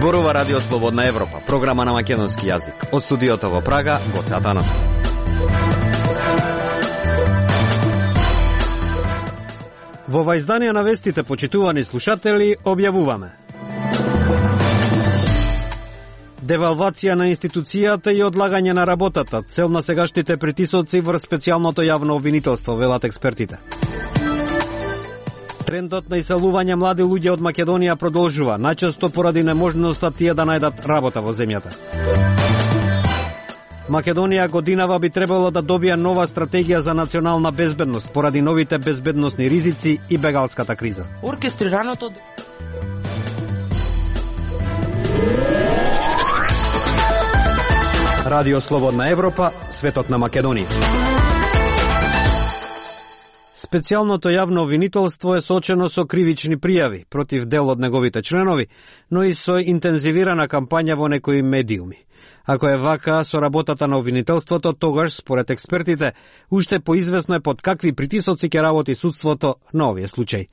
Зборува Радио Слободна Европа, програма на македонски јазик. Од студиото во Прага, Гоце Атанасов. Во ова издание на вестите, почитувани слушатели, објавуваме: девалвација на институцијата и одлагање на работата, цел на сегашните притисоци врз специјалното јавно обвинителство, велат експертите. Трендот на иселување млади луѓе од Македонија продолжува, најчесто поради неможноста тие да најдат работа во земјата. Македонија годинава би требало да добие нова стратегија за национална безбедност поради новите безбедносни ризици и бегалската криза. Оркестрираното Радио Слободна Европа, светот на Македонија. Специјалното јавно обвинителство е соочено со кривични пријави против дел од неговите членови, но и со интензивирана кампања во некои медиуми. Ако е вака со работата на обвинителството, тогаш, според експертите, уште поизвестно е под какви притисоци ќе работи судството на овие случаи.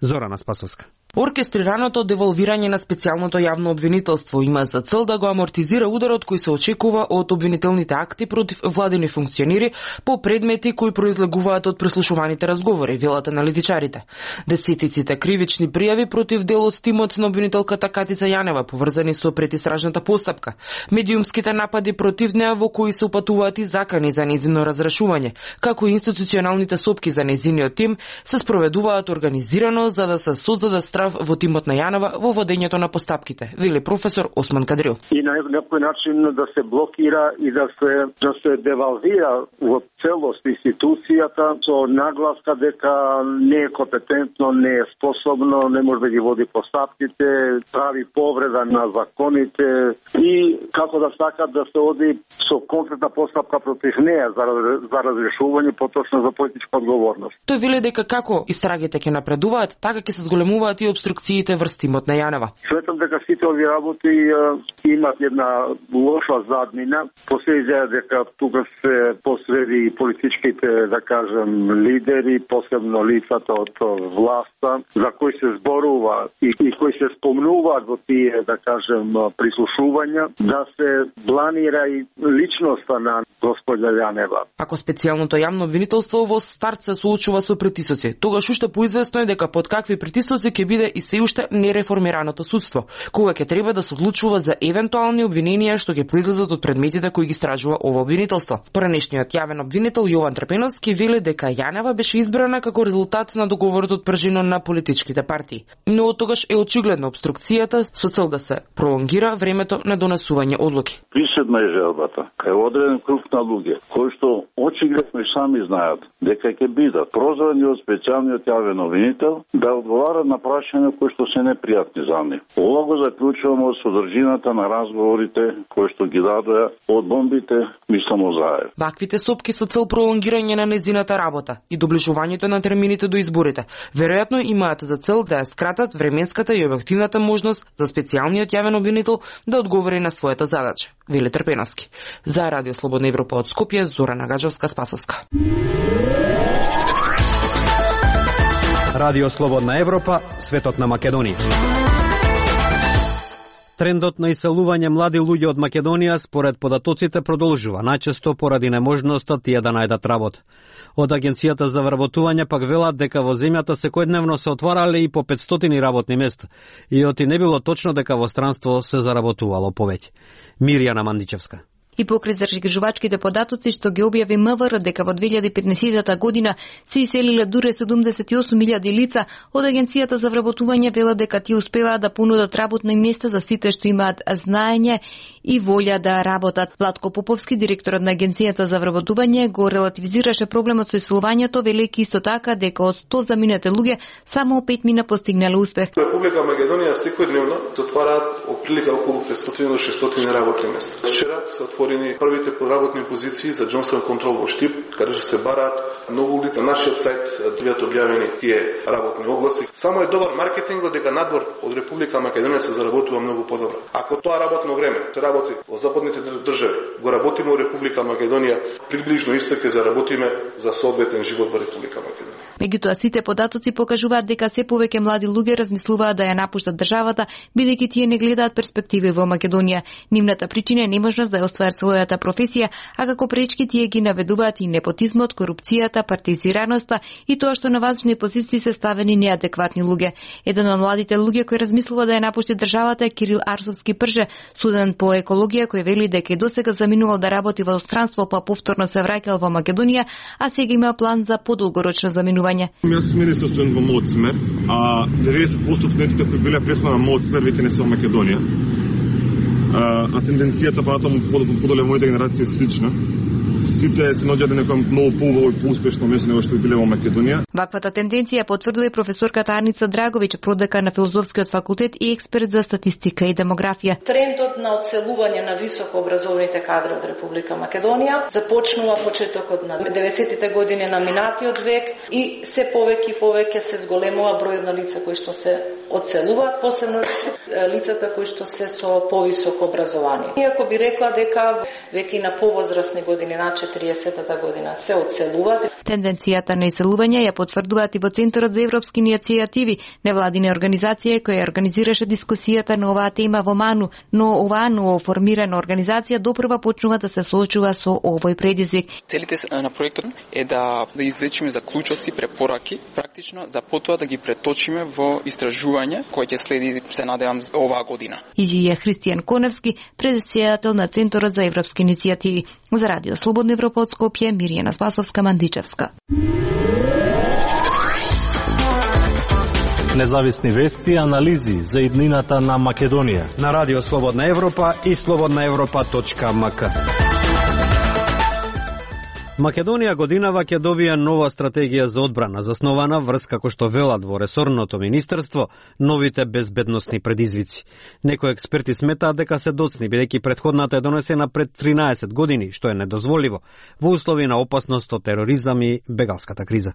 Зорана Спасовска. Оркестрираното девалвирање на специјалното јавно обвинителство има за цел да го амортизира ударот кој се очекува од обвинителните акти против владини функционери по предмети кои произлегуваат од преслушуваните разговори, велат аналитичарите. Десетиците кривични пријави против дел од тимот на обвинителката Катица Јанева поврзани со предистражната постапка, медиумските напади против неа во кои се упатуваат и закани за нејзино разрешување, како и институционалните сопки за нејзиниот тим се спроведуваат организирано за да се создаде во тимот на Јанова во водењето на постапките, вели професор Осман Кадрил. И на некој начин да се блокира и да се девалвира во целост институцијата со нагласка дека не е компетентно, не е способно, не може да ги води постапките, прави повреда на законите и како да сакат да се оди со конкретна постапка против неа за разрешување, поточно за политичка одговорност. Тој вели дека како истрагите ќе напредуваат, така ќе се зголемуваат и обструкциите врз тимот на Јанева. Светам дека сите овие работи имат една лоша заднина. Последија дека тука се посреди политичките, да кажем, лидери, посебно лицата од власта, за кои се зборува и кои се спомнуваат во тие, да кажем, прислушувања, да се планира и личноста на господја Јанева. Ако специјалното јавно обвинителство во старт се соочува со притисоци, тогаш уште поизвестно е дека под какви притисоци ќе биде и се уште нереформираното судство, кога ќе треба да се одлучува за евентуални обвиненија што ќе произлезат од предметите кои ги истражува ова обвинителство. Поранешниот јавен обвинител Јован Трпеновски вели дека Јанева беше избрана како резултат на договорот од пржино на политичките партии. Но од тогаш е очигледна обструкцијата со цел да се пролонгира времето на донесување одлуки. Присудна е желбата кај одреден круг на луѓе кои што очигледно и сами знаат дека ќе бидат прозвани од специјалниот јавен обвинител да одговарат на прашања кои што се непријатни за нив. Ова го заклучуваме од содржината на разговорите кои што ги дадоа од бомбите Мислимо Заев. Ваквите сопки со цел пролонгирање на незината работа и доближувањето на термините до изборите веројатно имаат за цел да ја скратат временската и објективната можност за специјалниот јавен обвинител да одговори на својата задача, вели Трпеновски. За Радио Слободна Европа од Скопје, Зорана Гаджевска-Спасовска. Радио Слободна Европа, светот на Македонија. Трендот на иселување млади луѓе од Македонија според податоците продолжува, најчесто поради неможноста тие да најдат работа. Од Агенцијата за вработување пак велат дека во земјата секојдневно се отварале и по 500 работни места, и оти не било точно дека во странство се заработувало повеќе. Мирјана Мандичевска. И покрај зашкрижувачките податоци што ги објави МВР дека во 2015 година се иселиле дуре 78.000 лица, од Агенцијата за вработување велат дека тие успеваат да понудат работни места за сите што имаат знаење и волја да работат. Владко Поповски, директорот на Агенцијата за вработување, го релативизираше проблемот со иселувањето, велејќи исто така дека од 100 заминете луѓе само 5 мина постигнале успех. Република Македонија секојдневно се отвараат отприлика околу 500 до 600 работни места. Вчера се отворени првите подработни позиции за Джонстон контрол во Штип, каде што се бараат многу лица. На нашиот сајт биваат објавени тие работни огласи. Само е добар маркетингот дека надвор од Република Македонија се заработува многу подобро. Ако тоа работно време се работи во западните држави, го работиме во Република Македонија, приближно исто ќе заработиме за соодветен живот во Република Македонија. Меѓутоа сите податоци покажуваат дека се повеќе млади луѓе размислуваат да ја напуштат државата, бидејќи тие не гледаат перспективи во Македонија. Нивната причина е неможност да ја остварат својата професија, а како пречки тие ги наведуваат и непотизмот, корупцијата, партизираноста и тоа што на важни позиции се ставени неадекватни луѓе. Еден од младите луѓе кој размислува да ја напушти државата е Кирил Арсовски Прже, студент по екологија кој вели дека и досега заминувал да работи во странство, па повторно се враќал во Македонија, а сега има план за подолгорочно заминување. Јас сум мене состојан во мојот смер, а 90% од студентите кои биле претходно на мојот смер веќе не се во Македонија. А тенденцијата понатаму подоле мојата генерација е слична. Сите се наоѓаат на некој многу поубаво и поуспешно место него што биле во Македонија. Ваквата тенденција потврдила и професорката Арница Драговиќ, продекан на Филозофскиот факултет и експерт за статистика и демографија. Трендот на одселување на високообразованите кадри од Република Македонија започнува почетокот на 90-тите години на минатиот век и се повеќе и повеќе се зголемува бројот на лица кои што се одселуваат, посебно лицата кои што се со повисоко образование. Иако би рекла дека веќе на повозрасни години, на 40-та година, се одселуваат. Тенденцијата на иселување ја потврдуваат и во Центарот за европски иницијативи, невладина организација која организираше дискусијата на оваа тема во Ману, но оваа новоформирана организација допрва почнува да се соочува со овој предизвик. Целите на проектот е да извлечиме заклучоци, препораки, практично за потоа да ги преточиме во истражување кој ќе следи, се надевам, оваа година. Изјавија Христијан Коневски, председател на Центарот за европски иницијативи. За Радио Слободна Европа од Скопје, Миријана Спасовска, Мандичевска. Независни вести и анализи за иднината на Македонија на Радио Слободна Европа и slobodnaevropa.mk. Македонија годинава ќе добие нова стратегија за одбрана, заснована врз, како што велат во ресорното министерство, новите безбедносни предизвици. Некои експерти сметаат дека се доцни, бидејќи претходната е донесена пред 13 години, што е недозволиво во услови на опасност од тероризам и бегалската криза.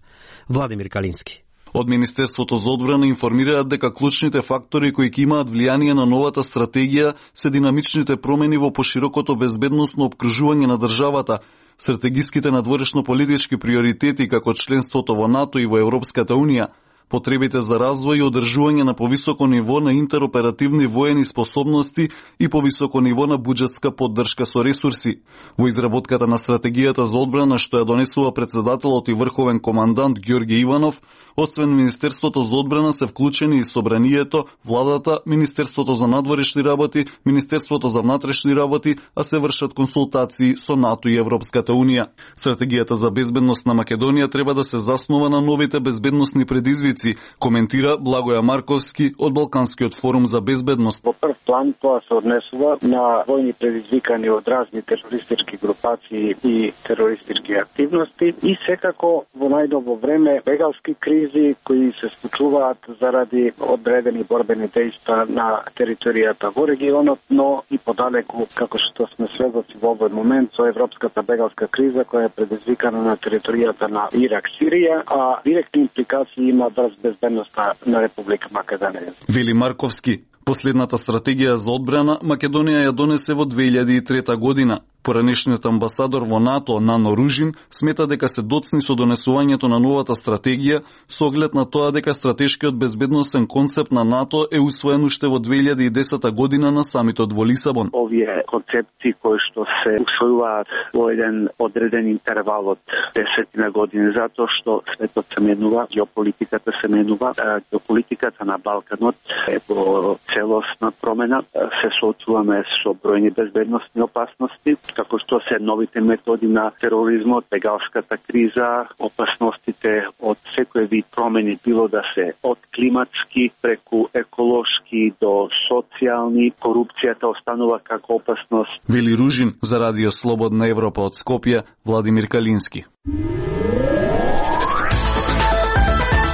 Владимир Калински. Од Министерството за одбрана информираат дека клучните фактори кои ќе имаат влијание на новата стратегија се динамичните промени во поширокото безбедносно опкружување на државата, стратегиските надворешно-политички приоритети како членството во НАТО и во Европската Унија, потребите за развој и одржување на повисоко ниво на интероперативни воени способности и повисоко ниво на буџетска поддршка со ресурси. Во изработката на стратегијата за одбрана што ја донесува председателот и врховен командант Ѓорѓе Иванов, освен Министерството за одбрана се вклучени и Собранието, Владата, Министерството за надворешни работи, Министерството за внатрешни работи, а се вршат консултации со НАТО и Европската Унија. Стратегијата за безбедност на Македонија треба да се заснова на новите безбедносни предизвици, коментира Благоја Марковски од Балканскиот форум за безбедност. Во прв план тоа се однесува на војни предизвикани од разни терористички групации и терористички активности и секако во најдобро време бегалски кризи кои се случуваат заради одредени борбени дејства на територијата во регионот, но и подалеку, како што сме сведоци во овој момент со европската бегалска криза која е предизвикана на територијата на Ирак, Сирија, а директни импликации има врз безбедноста на Република Македонија. Вели Марковски, последната стратегија за одбрана Македонија ја донесе во 2003 година. Поранешниот амбасадор во НАТО Нано Ружин смета дека се доцни со донесувањето на новата стратегија со оглед на тоа дека стратешкиот безбедносен концепт на НАТО е усвоен уште во 2010 година на самитот во Лисабон. Овие концепти кои што се усвојуваат во еден одреден интервал од 10 години, затоа што светот се менува, геополитиката се менува, геополитиката на Балканот е во целосна промена, се соочуваме со бројни безбедносни опасности, како што се новите методи на тероризмот, бегалската криза, опасностите од секој вид промени, било да се од климатски преку еколошки до социјални, корупцијата останува како опасност. Вели Ружин за Радио Слободна Европа од Скопје, Владимир Калински.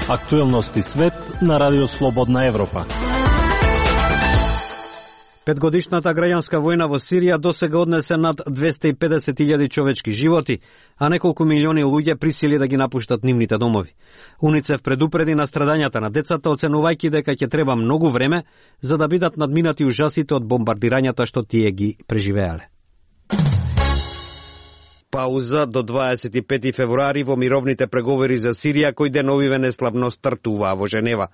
Актуелности свет на Радио Слободна Европа. Петгодишната граѓанска војна во Сирија досега однесе над 250.000 човечки животи, а неколку милиони луѓе присили да ги напуштат нивните домови. УНИЦЕФ предупреди на страдањата на децата, оценувајќи дека ќе треба многу време за да бидат надминати ужасите од бомбардирањата што тие ги преживеале. Пауза до 25 февруари во мировните преговори за Сирија, кои деновиве неславно стартуваа во Женева.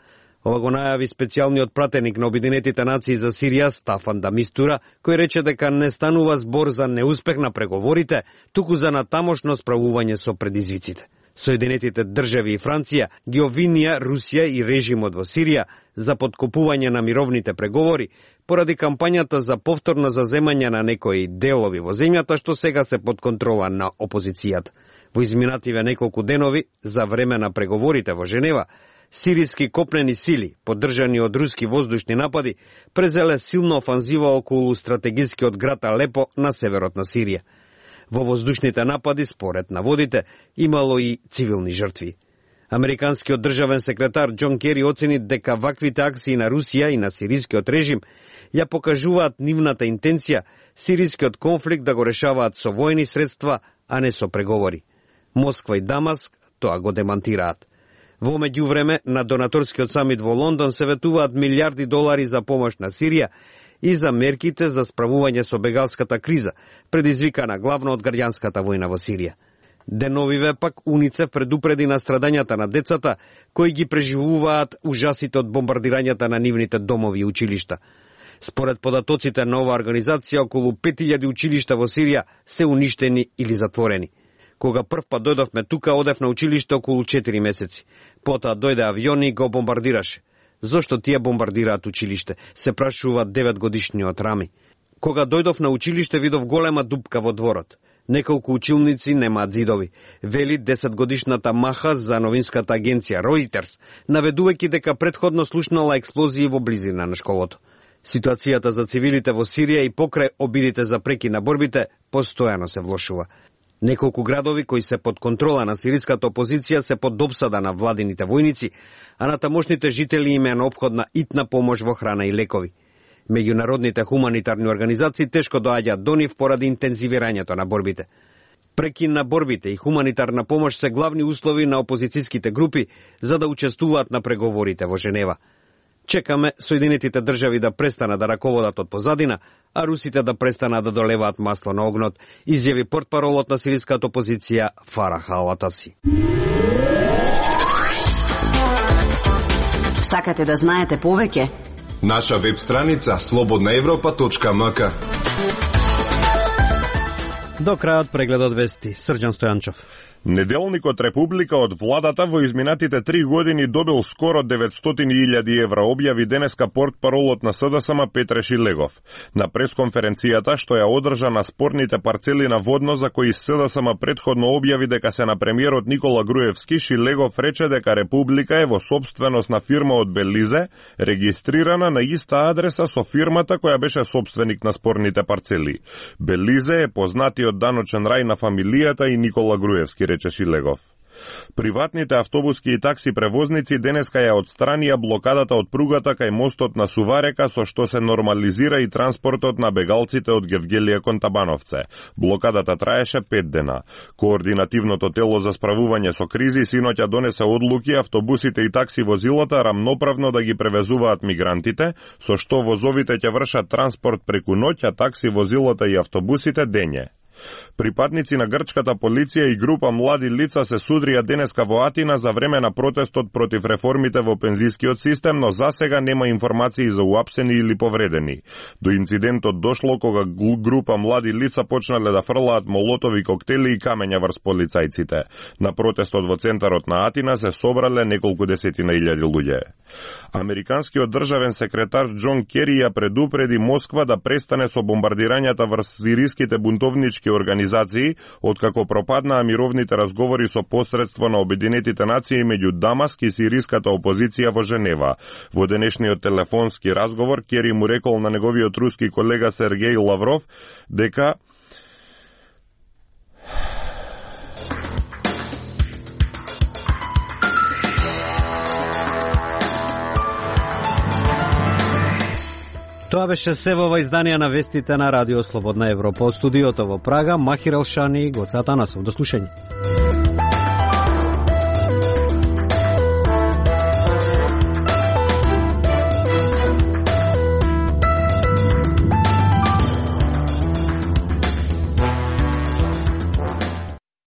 Ова го најави специјалниот пратеник на Обединетите нации за Сирија Стафан да Мистура, кој рече дека не станува збор за неуспех на преговорите, туку за натамошно справување со предизвиците. Соединетите држави и Франција ги обвинија Русија и режимот во Сирија за подкопување на мировните преговори поради кампањата за повторно заземање на некои делови во земјата, што сега се под контрола на опозицијата. Во изминативе неколку денови за време на преговорите во Женева, сириски копнени сили, поддржани од руски воздушни напади, презеле силна офанзива околу стратегискиот град Алепо на северот на Сирија. Во воздушните напади, според наводите, имало и цивилни жртви. Американскиот државен секретар Џон Кери оцени дека ваквите акции на Русија и на сирискиот режим ја покажуваат нивната интенција сирискиот конфликт да го решаваат со војни средства, а не со преговори. Москва и Дамаск тоа го демантираат. Во меѓувреме, на донаторскиот самит во Лондон се ветуваат милиарди долари за помош на Сирија и за мерките за справување со бегалската криза, предизвикана главно од граѓанската војна во Сирија. Деновиве пак УНИЦЕФ предупреди на страдањата на децата кои ги преживуваат ужасите од бомбардирањата на нивните домови и училишта. Според податоците на оваа организација, околу 5000 училишта во Сирија се уништени или затворени. Кога првпат дојдовме тука, одев на училиште околу 4 месеци. Потоа дојде авион и го бомбардираше. Зошто тие бомбардираат училиште? Се прашува 9-годишниот Рами. Кога дојдов на училиште, видов голема дупка во дворот. Неколку училници немаат зидови, вели 10-годишната Маха за новинската агенција Reuters, наведувајќи дека претходно слушнала експлозии во близина на школото. Ситуацијата за цивилите во Сирија и покрај обидите за преки на борбите постојано се влошува. Неколку градови кои се под контрола на сириската опозиција се под допсада на владините војници, а на тамошните жители им е неопходна итна помош во храна и лекови. Меѓународните хуманитарни организации тешко доаѓаат до нив поради интензивирањето на борбите. Прекин на борбите и хуманитарна помош се главни услови на опозицијските групи за да учествуваат на преговорите во Женева. Чекаме Соединетите држави да престанат да раководат од позадина, а русите да престанат да долеваат масло на огнот, изјави портпаролот на сириската опозиција Фарах Ал-Атаси. Сакате да знаете повеќе? Наша веб страница slobodnaevropa.mk. До крајот прегледот вести. Срđan Стојанчов. Неделникот Република од владата во изминатите 3 години добил скоро 900.000 евра, објави денеска портпаролот на СДСМ Петре Шилегов. На пресконференцијата што ја одржа на спорните парцели на водно за кои СДСМ претходно објави дека се на премиерот Никола Груевски, Шилегов рече дека Република е во сопственост на фирма од Белизе, регистрирана на иста адреса со фирмата која беше сопственик на спорните парцели. Белизе е познатиот даночен рај на фамилијата и Никола Груевски, рече Шилегов. Приватните автобуски и такси превозници денеска ја отстранија блокадата од пругата кај мостот на Суварека, со што се нормализира и транспортот на бегалците од Гевгелија кон Табановце. Блокадата траеше 5 дена. Координативното тело за справување со кризи синоќа донесе одлуки автобусите и такси возилата рамноправно да ги превезуваат мигрантите, со што возовите ќе вршат транспорт преку ноќ, а такси возилата и автобусите дење. Припадници на грчката полиција и група млади лица се судрија денеска во Атина за време на протестот против реформите во пензискиот систем, но засега нема информации за уапсени или повредени. До инцидентот дошло кога група млади лица почнале да фрлаат молотови коктели и камења врз полицајците. На протестот во центарот на Атина се собрале неколку десетина илјади луѓе. Американскиот државен секретар Џон Кери ја предупреди Москва да престане со бомбардирањата врз сириските бунтовнички организации, откако пропаднаа мировните разговори со посредство на Обединетите нации меѓу Дамаск и сириската опозиција во Женева. Во денешниот телефонски разговор Кери му рекол на неговиот руски колега Сергеј Лавров дека Тоа беше се во ова изданија на вестите на Радио Слободна Европа. Од студиото во Прага, Махир Елшани и Гоце Атанасов. До слушање.